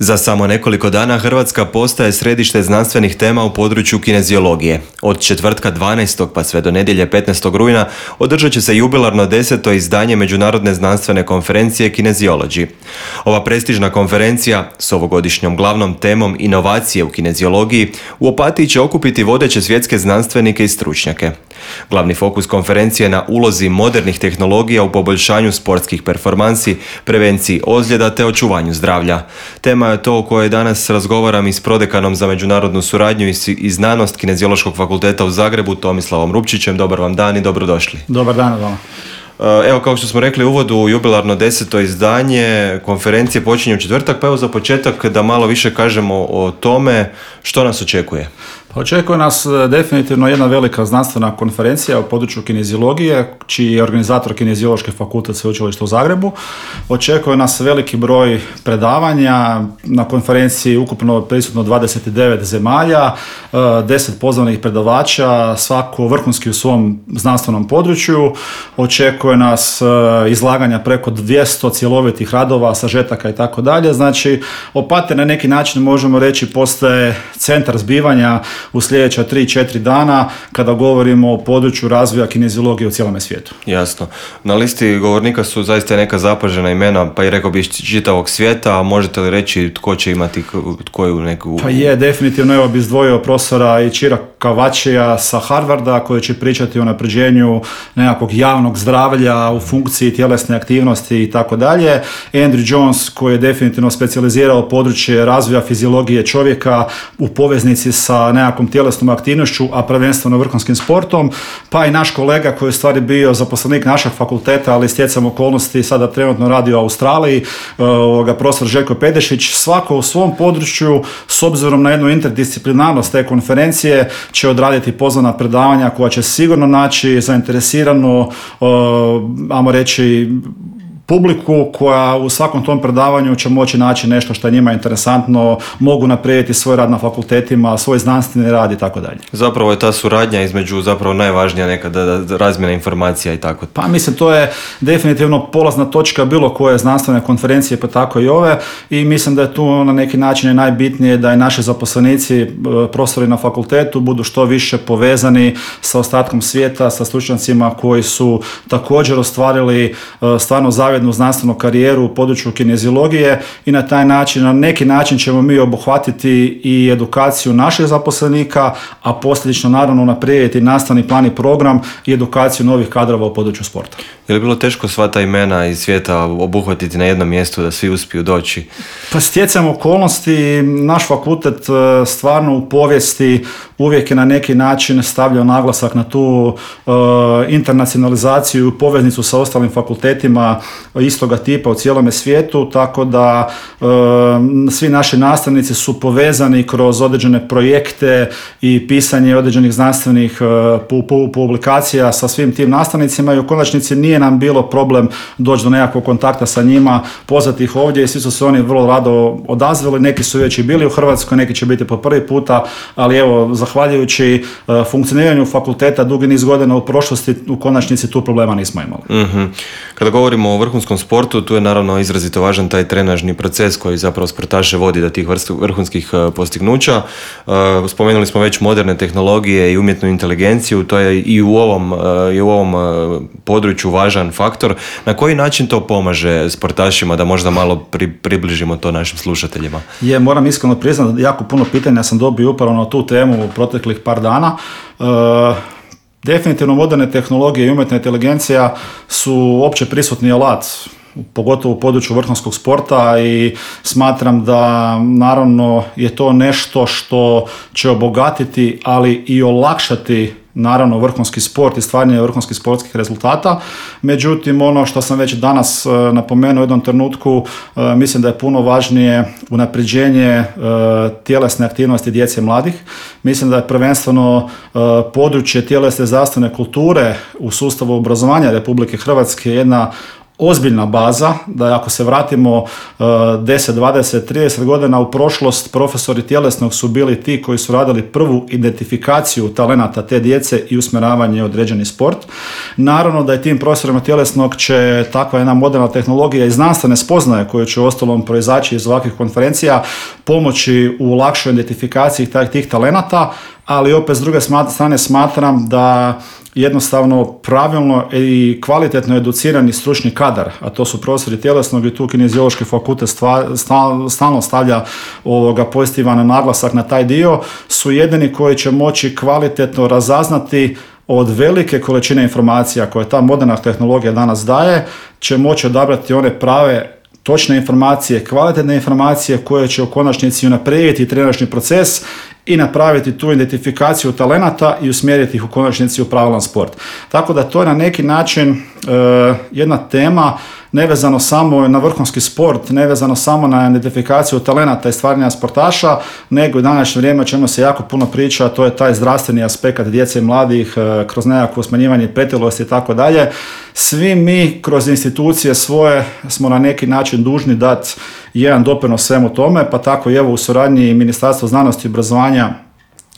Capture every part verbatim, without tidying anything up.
Za samo nekoliko dana Hrvatska postaje središte znanstvenih tema u području kineziologije. Od četvrtka dvanaestog pa sve do nedjelje petnaestog rujna održat će se jubilarno deseto izdanje Međunarodne znanstvene konferencije Kinesiology. Ova prestižna konferencija s ovogodišnjom glavnom temom inovacije u kineziologiji u Opatiji će okupiti vodeće svjetske znanstvenike i stručnjake. Glavni fokus konferencije je na ulozi modernih tehnologija u poboljšanju sportskih performansi, prevenciji ozljeda te očuvanju zdravlja. Tema je to o kojoj danas razgovaram i s prodekanom za međunarodnu suradnju i znanost Kineziološkog fakulteta u Zagrebu, Tomislavom Rupčićem. Dobar vam dan i dobrodošli. Dobar dan vama. Evo, kao što smo rekli u uvodu, jubilarno deseto izdanje konferencije počinje u četvrtak, pa evo za početak da malo više kažemo o tome što nas očekuje. Očekuje nas definitivno jedna velika znanstvena konferencija u području kineziologije, čiji je organizator Kineziološki fakultet Sveučilišta u Zagrebu. Očekuje nas veliki broj predavanja, na konferenciji ukupno prisutno dvadeset devet zemalja, deset pozvanih predavača, svako vrhunski u svom znanstvenom području. Očekuje nas izlaganja preko dvjesto cjelovitih radova, sažetaka i tako dalje. Znači, Opatija na neki način možemo reći postaje centar zbivanja u sljedeća tri četiri dana kada govorimo o području razvoja kineziologije u cijelome svijetu. Jasno. Na listi govornika su zaista neka zapažena imena, pa i rekao bih čitavog svijeta, a možete li reći tko će imati koju neku... Pa je, definitivno, evo bi izdvojio profesora Ichira Kawachija sa Harvarda koji će pričati o unapređenju nekakvog javnog zdravlja u funkciji tjelesne aktivnosti i tako dalje. Andrew Jones koji je definitivno specijalizirao područje razvoja fiziologije čovjeka u poveznici sa nekakvom tjelesnom aktivnošću, a prvenstveno vrhunskim sportom, pa i naš kolega koji je u stvari bio zaposlenik našeg fakulteta, ali stjecam okolnosti sada trenutno radi u Australiji, ovoga, profesor Željko Pedešić. Svako u svom području, s obzirom na jednu interdisciplinarnost te konferencije, će odraditi pozvana predavanja koja će sigurno naći zainteresirano, ajmo reći, publiku koja u svakom tom predavanju će moći naći nešto što je njima interesantno, mogu napraviti svoj rad na fakultetima, svoj znanstveni rad i tako dalje. Zapravo je ta suradnja između zapravo najvažnija nekada razmjena informacija i tako. Pa mislim, to je definitivno polazna točka bilo koje znanstvene konferencije, pa tako i ove, i mislim da je tu na neki način najbitnije da i naši zaposlenici, profesori na fakultetu budu što više povezani sa ostatkom svijeta, sa stručnjacima koji su također ostvarili stvarno zavidnu znanstvenu karijeru u području kineziologije i na taj način, na neki način ćemo mi obuhvatiti i edukaciju naših zaposlenika, a posljedično naravno unaprijediti nastavni plan i program i edukaciju novih kadrova u području sporta. Je li bilo teško sva ta imena iz svijeta obuhvatiti na jednom mjestu da svi uspiju doći? Pa stjecam okolnosti, naš fakultet stvarno u povijesti uvijek je na neki način stavljao naglasak na tu uh, internacionalizaciju i poveznicu sa ostalim fakultetima istoga tipa u cijelome svijetu, tako da uh, svi naši nastavnici su povezani kroz određene projekte i pisanje određenih znanstvenih uh, publikacija sa svim tim nastavnicima i u konačnici nije nam bilo problem doći do nekakvog kontakta sa njima, pozvati ih ovdje i svi su se oni vrlo rado odazvali, neki su već i bili u Hrvatskoj, neki će biti po prvi puta, ali evo, zahvaljujući uh, funkcioniranju fakulteta dugi niz godina u prošlosti, u konačnici tu problema nismo imali. Mm-hmm. Kada govorimo o vrhunskom sportu, tu je naravno izrazito važan taj trenažni proces koji zapravo sportaše vodi do tih vrhunskih uh, postignuća. Uh, spomenuli smo već moderne tehnologije i umjetnu inteligenciju, to je i u ovom, uh, i u ovom uh, području važan faktor. Na koji način to pomaže sportašima da možda malo pri, približimo to našim slušateljima? Je, moram iskreno priznati, jako puno pitanja sam dobio upravo na tu temu u proteklih par dana. Uh, definitivno moderne tehnologije i umjetna inteligencija su opće prisutni alat, pogotovo u području vrhunskog sporta, i smatram da naravno je to nešto što će obogatiti, ali i olakšati naravno vrhunski sport i stvaranje vrhunskih sportskih rezultata. Međutim, ono što sam već danas uh, napomenuo u jednom trenutku, uh, mislim da je puno važnije unapređenje uh, tjelesne aktivnosti djece i mladih. Mislim da je prvenstveno uh, područje tjelesne zdravstvene kulture u sustavu obrazovanja Republike Hrvatske jedna ozbiljna baza, da ako se vratimo deset, dvadeset, trideset godina u prošlost, profesori tjelesnog su bili ti koji su radili prvu identifikaciju talenata te djece i usmjeravanje u određeni sport. Naravno da je tim profesorima tjelesnog će takva jedna moderna tehnologija i znanstvene spoznaje koje će ostalom proizaći iz ovakvih konferencija pomoći u lakšoj identifikaciji tih talenata, ali opet s druge strane smatram da jednostavno pravilno i kvalitetno educirani stručni kadar, a to su profesori tjelesnog i tu kineziološki fakultet stalno stavlja ovoga pozitivan naglasak na taj dio, su jedini koji će moći kvalitetno razaznati od velike količine informacija koje ta moderna tehnologija danas daje, će moći odabrati one prave točne informacije, kvalitetne informacije koje će u konačnici unaprijediti treneražni proces i napraviti tu identifikaciju talenata i usmjeriti ih u konačnici u pravilan sport. Tako da to je na neki način e, jedna tema nevezano samo na vrhunski sport, nevezano samo na identifikaciju talenata i stvaranja sportaša, nego u današnje vrijeme o čemu se jako puno priča, to je taj zdravstveni aspekt djece i mladih e, kroz nekakvo smanjivanje pretilosti i tako dalje. Svi mi kroz institucije svoje smo na neki način dužni dati jedan doprinos svemu tome, pa tako i evo u suradnji Ministarstva znanosti i obrazovanja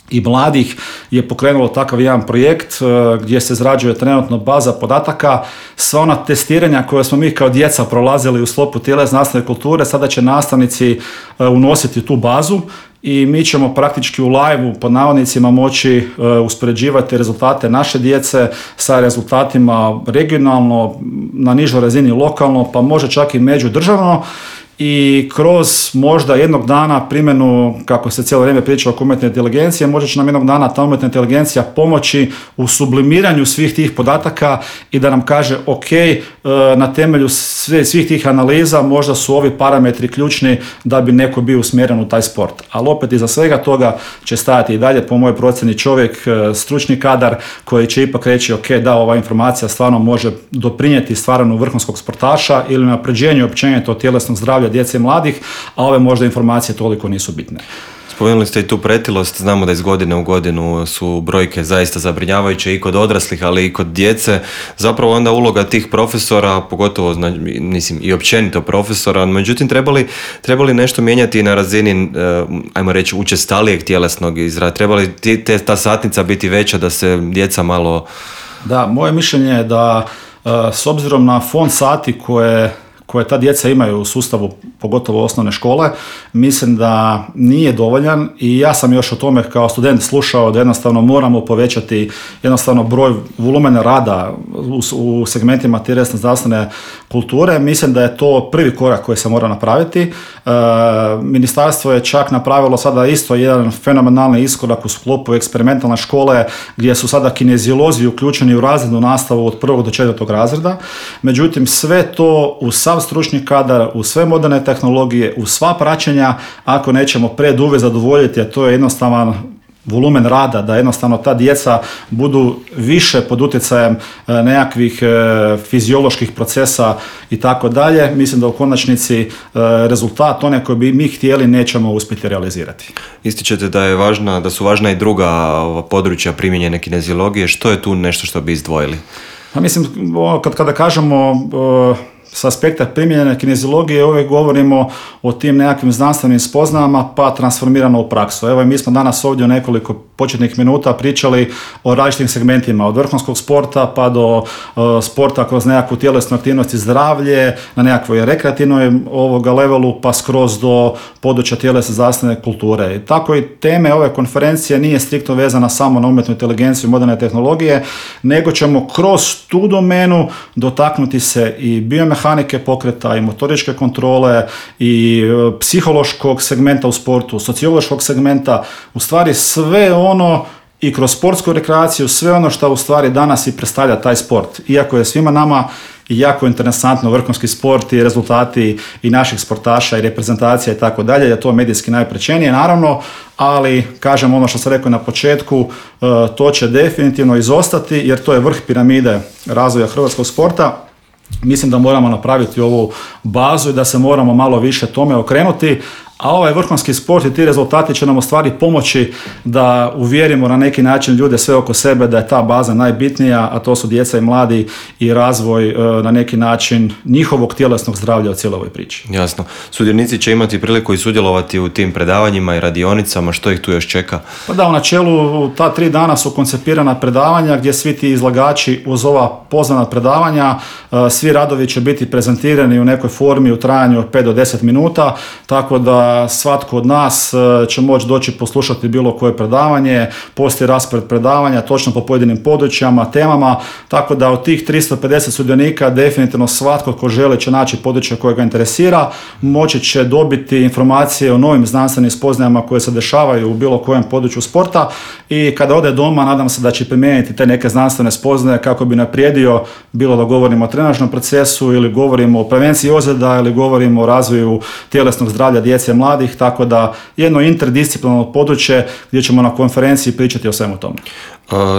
i mladih je pokrenulo takav jedan projekt gdje se izrađuje trenutno baza podataka. Sva ona testiranja koje smo mi kao djeca prolazili u sklopu tjelesne nastavne kulture, sada će nastavnici unositi tu bazu i mi ćemo praktički u live-u pod navodnicima moći uspoređivati rezultate naše djece sa rezultatima regionalno, na nižoj razini lokalno, pa može čak i međudržavno. I kroz možda jednog dana primjenu, kako se cijelo vrijeme priča oko umjetne inteligencije, možda će nam jednog dana ta umjetna inteligencija pomoći u sublimiranju svih tih podataka i da nam kaže ok, na temelju svih tih analiza možda su ovi parametri ključni da bi neko bio usmjeren u taj sport. Ali opet iza svega toga će stajati i dalje po mojoj procjeni čovjek, stručni kadar koji će ipak reći ok, da, ova informacija stvarno može doprinijeti stvaranju vrhunskog sportaša ili unapređenju općenito tjelesnog zdravlja djece i mladih, a ove možda informacije toliko nisu bitne. Spomenuli ste i tu pretilost, znamo da iz godine u godinu su brojke zaista zabrinjavajuće i kod odraslih, ali i kod djece. Zapravo onda uloga tih profesora, pogotovo mislim, i općenito profesora, međutim trebali, trebali nešto mijenjati na razini, ajmo reći, učestalijeg tjelesnog izrada. Trebali te, ta satnica biti veća da se djeca malo... Da, moje mišljenje je da s obzirom na fond sati koje koje ta djeca imaju u sustavu, pogotovo osnovne škole, mislim da nije dovoljan i ja sam još o tome kao student slušao da jednostavno moramo povećati jednostavno broj volumena rada u, u segmentima tjelesne zdravstvene kulture. Mislim da je to prvi korak koji se mora napraviti. E, ministarstvo je čak napravilo sada isto jedan fenomenalni iskorak u sklopu eksperimentalne škole gdje su sada kineziolozi uključeni u razrednu nastavu od prvog do četvrtog razreda. Međutim, sve to u sav stručni kadar, u sve moderne tehnologije, u sva praćenja, ako nećemo preduvjet zadovoljiti, a to je jednostavan volumen rada, da jednostavno ta djeca budu više pod utjecajem nekakvih fizioloških procesa i tako dalje, mislim da u konačnici rezultat one koje bi mi htjeli nećemo uspjeti realizirati. Ističete da je važna, da su važna i druga područja primijenjene kineziologije. Što je tu nešto što bi izdvojili? Pa mislim, kad kada kažemo s aspekta primijenjene kineziologije uvijek govorimo o tim nekakvim znanstvenim spoznajama pa transformirano u praksu. Evo, mi smo danas ovdje u nekoliko početnih minuta pričali o različitim segmentima, od vrhunskog sporta pa do uh, sporta kroz nekakvu tjelesnu aktivnost i zdravlje, na nekakvoj rekreativnoj ovoga levelu pa skroz do područja tjelesne zdravstvene kulture. I tako i teme ove konferencije nije striktno vezana samo na umjetnu inteligenciju i moderne tehnologije, nego ćemo kroz tu domenu dotaknuti se i biomehanike pokreta i motoričke kontrole i psihološkog segmenta u sportu, sociološkog segmenta, u stvari sve ono i kroz sportsku rekreaciju, sve ono što u stvari danas i predstavlja taj sport. Iako je svima nama jako interesantno vrhunski sport i rezultati i naših sportaša i reprezentacija i tako dalje, je to medijski najprečenije naravno, ali kažem ono što sam rekao na početku, to će definitivno izostati jer to je vrh piramide razvoja hrvatskog sporta. Mislim da moramo napraviti ovu bazu i da se moramo malo više tome okrenuti, A ovaj vrhunski sport i ti rezultati će nam u stvari pomoći da uvjerimo na neki način ljude sve oko sebe da je ta baza najbitnija, a to su djeca i mladi i razvoj e, na neki način njihovog tjelesnog zdravlja u cijeloj ovoj priči. Jasno. Sudionici će imati priliku i sudjelovati u tim predavanjima i radionicama, što ih tu još čeka? Pa da, u načelu ta tri dana su koncipirana predavanja gdje svi ti izlagači uz ova pozvana predavanja, e, svi radovi će biti prezentirani u nekoj formi u trajanju od pet do deset minuta, tako da svatko od nas će moći doći poslušati bilo koje predavanje, postoji raspored predavanja točno po pojedinim područjama, temama, tako da od tih tristo pedeset sudionika definitivno svatko ko želi će naći područje koje ga interesira, moći će dobiti informacije o novim znanstvenim spoznajama koje se dešavaju u bilo kojem području sporta i kada ode doma nadam se da će primijeniti te neke znanstvene spoznaje kako bi naprijedio, bilo da govorimo o trenažnom procesu ili govorimo o prevenciji ozljeda ili govorimo o razvoju tjelesnog zdravlja djece i mladih, tako da jedno interdisciplinarno područje gdje ćemo na konferenciji pričati o svemu tome.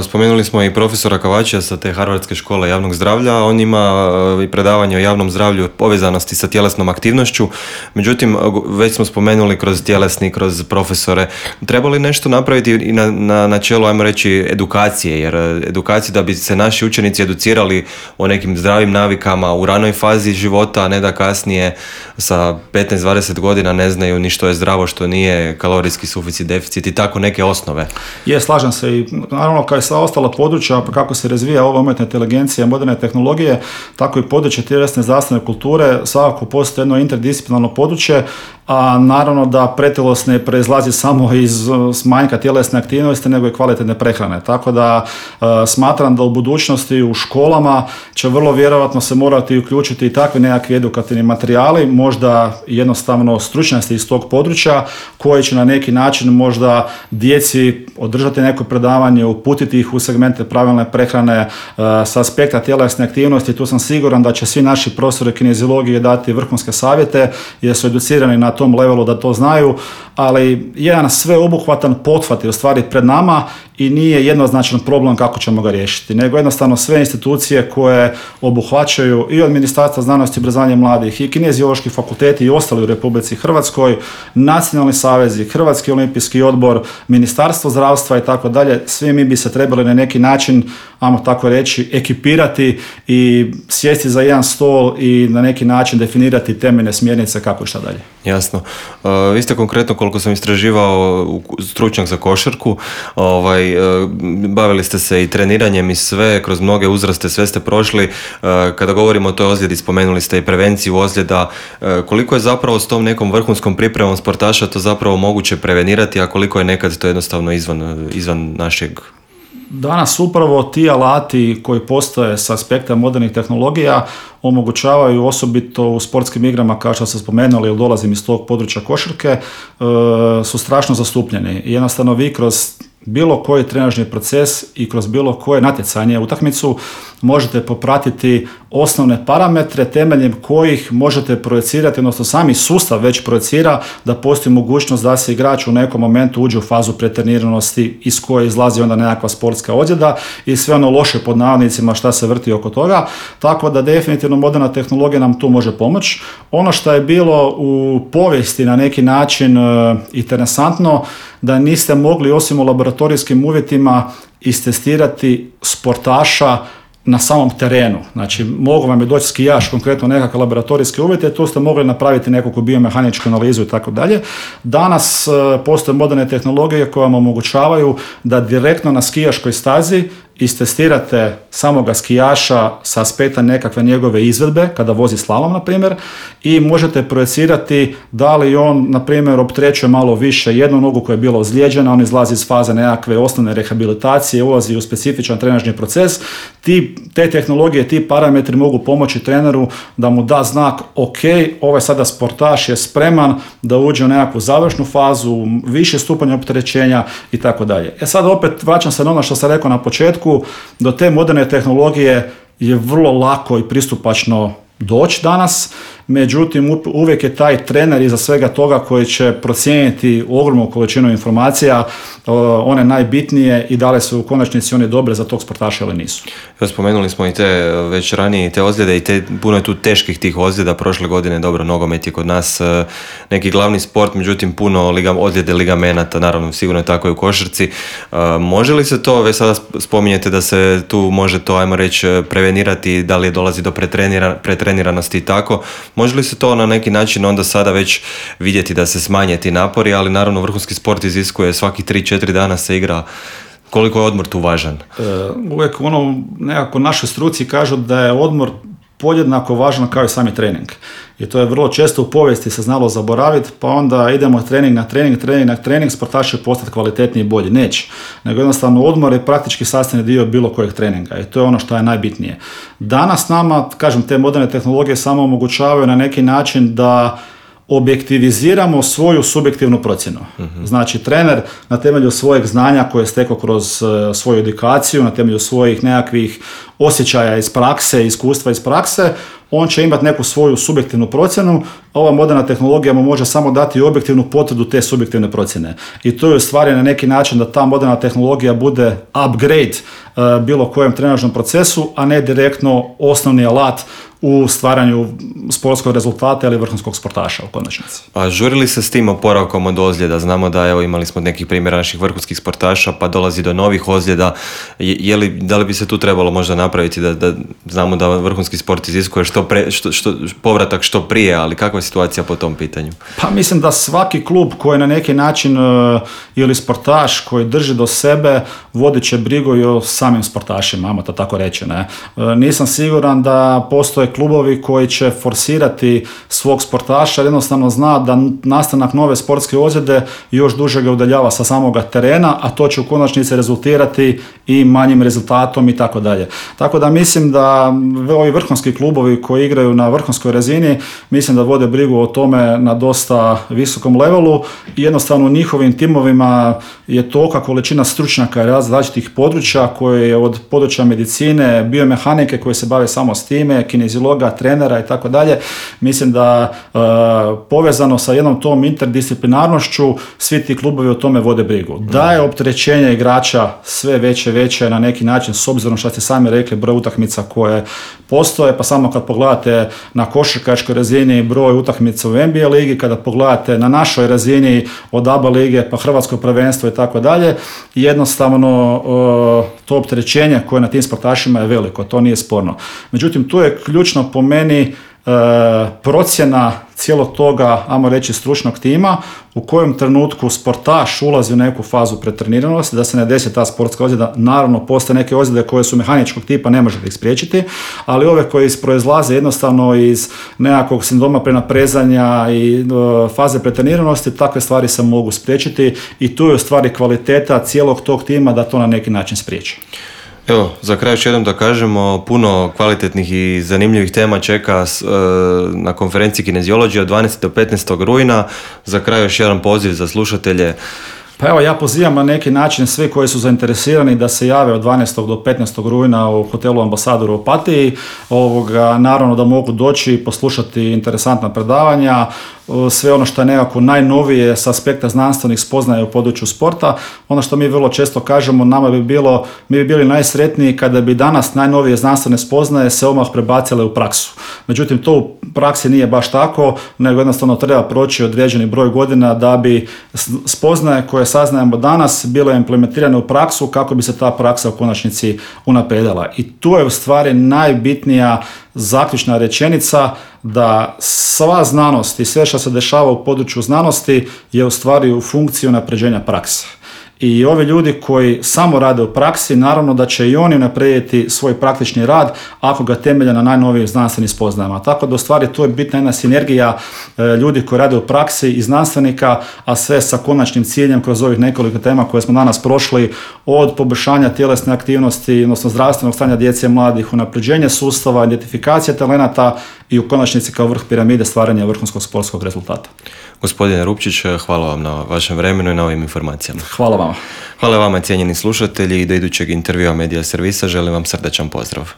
Spomenuli smo i profesora Kavačija sa te Harvardske škole javnog zdravlja, on ima i predavanje o javnom zdravlju povezanosti sa tjelesnom aktivnošću, međutim već smo spomenuli kroz tjelesni, kroz profesore, treba li nešto napraviti i na, na, na čelu, ajmo reći, edukacije, jer edukacije da bi se naši učenici educirali o nekim zdravim navikama u ranoj fazi života, a ne da kasnije sa petnaest dvadeset godina ne znaju ni što je zdravo, što nije, kalorijski suficit, deficit i tako neke osnove. Je, slažem se i naravno kao i sva ostala područja, pa kako se razvija ova umjetna inteligencija, moderne tehnologije, tako i područje tjelesne zdravstvene kulture, svakako postoji jedno interdisciplinarno područje, a naravno da pretilost ne proizlazi samo iz manjka tjelesne aktivnosti, nego i kvalitetne prehrane. Tako da uh, smatram da u budućnosti u školama će vrlo vjerojatno se morati uključiti i takvi nekakvi edukativni materijali, možda jednostavno stručnjaci iz tog područja, koji će na neki način možda djeci održati neko predavanje, uputiti ih u segmente pravilne prehrane uh, sa aspekta tjelesne aktivnosti. Tu sam siguran da će svi naši profesori kineziologije dati vrhunske savjete, jer su educirani na tom levelu da to znaju, ali jedan sveobuhvatan pothvat je u stvari pred nama i nije jednoznačan problem kako ćemo ga riješiti, nego jednostavno sve institucije koje obuhvaćaju i od Ministarstva znanosti i obrazovanja mladih i kineziološki fakulteti i ostali u Republici Hrvatskoj, nacionalni savezi, Hrvatski olimpijski odbor, Ministarstvo zdravstva i tako dalje, svi mi bi se trebali na neki način, ajmo tako reći, ekipirati i sjesti za jedan stol i na neki način definirati temeljne smjernice kako i šta dalje. Jasno. Uh, vi ste konkretno, koliko sam istraživao, stručnjak za košarku, ovaj, uh, bavili ste se i treniranjem i sve, kroz mnoge uzraste, sve ste prošli. Uh, kada govorimo o toj ozljedi, spomenuli ste i prevenciju ozljeda. Uh, koliko je zapravo s tom nekom vrhunskom pripremom sportaša to zapravo moguće prevenirati, a koliko je nekad to jednostavno izvan, izvan našeg? Danas upravo ti alati koji postoje s aspekta modernih tehnologija omogućavaju osobito u sportskim igrama, kao što ste spomenuli, jer dolazim iz tog područja košarke, su strašno zastupljeni. Jednostavno vi kroz bilo koji trenažni proces i kroz bilo koje natjecanje, utakmicu, možete popratiti osnovne parametre temeljem kojih možete projecirati, odnosno sami sustav već projecira da postoji mogućnost da se igrač u nekom momentu uđe u fazu pretreniranosti iz koje izlazi onda nekakva sportska ozljeda i sve ono loše pod navodnicima šta se vrti oko toga, tako da definitivno moderna tehnologija nam tu može pomoći. Ono što je bilo u povijesti na neki način uh, interesantno, da niste mogli osim u laboratorijskim uvjetima istestirati sportaša na samom terenu. Znači, mogu vam je doći skijaš, konkretno nekakve laboratorijske uvjete, tu ste mogli napraviti nekakvu biomehaničku analizu i tako dalje. Danas uh, postoje moderne tehnologije koje vam omogućavaju da direktno na skijaškoj stazi istestirate samoga skijaša sa aspekta nekakve njegove izvedbe, kada vozi slalom, na primjer, i možete projecirati da li on, na primjer, opterećuje malo više jednu nogu koja je bila ozlijeđena, on izlazi iz faze nekakve osnovne rehabilitacije, ulazi u specifičan trenažni proces. Ti, te tehnologije, ti parametri mogu pomoći treneru da mu da znak, ok, ovaj sada sportaš je spreman da uđe u nekakvu završnu fazu, više stupanja opterećenja i tako dalje. E sad opet vraćam se na ono što sam rekao na početku, do te moderne tehnologije je vrlo lako i pristupačno doći danas međutim uvijek je taj trener iza svega toga koji će procijeniti ogromnu količinu informacija, one najbitnije i da li su u konačnici one dobre za tog sportaša ili nisu. Evo, spomenuli smo i te već ranije te ozljede i te, puno je tu teških tih ozljeda. Prošle godine, dobro, nogomet je kod nas neki glavni sport, međutim puno liga, ozljede ligamenata, naravno sigurno je tako i u košarci. Može li se to, već sada spominjete da se tu može to, ajmo reći, prevenirati, da li dolazi do pretrenira, pretreniranosti i tako, može li se to na neki način onda sada već vidjeti da se smanje ti napori, ali naravno vrhunski sport iziskuje svaki tri četiri dana se igra. Koliko je odmor tu važan? E, uvijek ono, nekako naši struci kažu da je odmor podjednako važan kao i sami trening. I to je vrlo često u povijesti se znalo zaboraviti, pa onda idemo trening na trening, trening na trening, sportaš će postati kvalitetniji i bolji. Neće. Nego jednostavno odmor je praktički sastavni dio bilo kojeg treninga i to je ono što je najbitnije. Danas nama, kažem, te moderne tehnologije samo omogućavaju na neki način da objektiviziramo svoju subjektivnu procjenu. Mm-hmm. Znači, trener na temelju svojeg znanja koje je stekao kroz uh, svoju edukaciju, na temelju svojih nekakvih osjećaja iz prakse, iskustva iz prakse, on će imati neku svoju subjektivnu procjenu, a ova moderna tehnologija mu može samo dati objektivnu potvrdu te subjektivne procjene. I to je u stvari na neki način da ta moderna tehnologija bude upgrade uh, bilo kojem trenažnom procesu, a ne direktno osnovni alat u stvaranju sportskog rezultata ili vrhunskog sportaša u konačnici. A žurili se s tim oporavkom od ozljeda? Znamo da evo, imali smo nekih primjera naših vrhunskih sportaša, pa dolazi do novih ozljeda. Je, je li, da li bi se tu trebalo možda napraviti da, da znamo da vrhunski sport iziskuje što pre, što, što, povratak što prije, ali kakva je situacija po tom pitanju? Pa mislim da svaki klub koji na neki način uh, ili sportaš koji drži do sebe vodit će brigu i o samim sportašima, ajmo to tako reći. Ne? Uh, nisam siguran da postoje klubovi koji će forsirati svog sportaša, jednostavno zna da nastanak nove sportske ozljede još duže ga udaljava sa samoga terena, a to će u konačnici rezultirati i manjim rezultatom i tako dalje. Tako da mislim da ovi vrhunski klubovi koji igraju na vrhunskoj razini, mislim da vode brigu o tome na dosta visokom levelu i jednostavno u njihovim timovima je tolika količina stručnjaka različitih područja koje je od područja medicine, biomehanike koje se bave samo s time, kineziologa, trenera i tako dalje. Mislim da uh, povezano sa jednom tom interdisciplinarnošću svi ti klubovi o tome vode brigu. Da je opterećenje igrača sve veće veće na neki način s obzirom što ste sami rekli broj utakmica koje postoje, pa samo kad pogledate na košarkaškoj razini broj utakmica u N B A ligi, kada pogledate na našoj razini od A B A lige pa hrvatsko prvenstvo i tako dalje, jednostavno uh, to opterećenje koje na tim sportašima je veliko, to nije sporno. Međutim, tu je ključno po meni e, procjena cijelog toga, ajmo reći, stručnog tima, u kojem trenutku sportaš ulazi u neku fazu pretreniranosti, da se ne desi ta sportska ozljeda. Naravno, postoje neke ozljede koje su mehaničkog tipa, ne možete ih spriječiti, ali ove koje proizlaze jednostavno iz nekakvog sindroma prenaprezanja i e, faze pretreniranosti, takve stvari se mogu spriječiti i tu je u stvari kvaliteta cijelog tog tima da to na neki način spriječi. Evo, za kraj još jednom da kažemo, puno kvalitetnih i zanimljivih tema čeka e, na konferenciji Kineziologije od dvanaestog do petnaestog rujna. Za kraj još jedan poziv za slušatelje. Pa evo, ja pozivam na neki način svi koji su zainteresirani da se jave od dvanaestog do petnaestog rujna u hotelu Ambasador u Opatiji. Ovoga, naravno da mogu doći i poslušati interesantna predavanja, sve ono što je nekako najnovije s aspekta znanstvenih spoznaja u području sporta. Ono što mi vrlo često kažemo, nama bi bilo, mi bi bili najsretniji kada bi danas najnovije znanstvene spoznaje se odmah prebacile u praksu. Međutim, to u praksi nije baš tako, nego jednostavno treba proći određeni broj godina da bi spoznaje koje saznajemo danas bile implementirane u praksu kako bi se ta praksa u konačnici unaprijedila. I tu je u stvari najbitnija zaključna rečenica da sva znanost i sve što se dešava u području znanosti je u stvari u funkciji unapređenja prakse. I ovi ljudi koji samo rade u praksi, naravno da će i oni unaprijediti svoj praktični rad ako ga temelje na najnovijim znanstvenim spoznajama. Tako da u stvari tu je bitna jedna sinergija e, ljudi koji rade u praksi i znanstvenika, a sve sa konačnim ciljem kroz ovih nekoliko tema koje smo danas prošli, od poboljšanja tjelesne aktivnosti, odnosno zdravstvenog stanja djece i mladih, unapređenje sustava, identifikacija talenata i u konačnici kao vrh piramide stvaranja vrhunskog sportskog rezultata. Gospodine Rupčić, hvala vam na vašem vremenu i na ovim informacijama. Hvala vama. Hvala vama, cijenjeni slušatelji, i do idućeg intervjua Medija servisa želim vam srdačan pozdrav.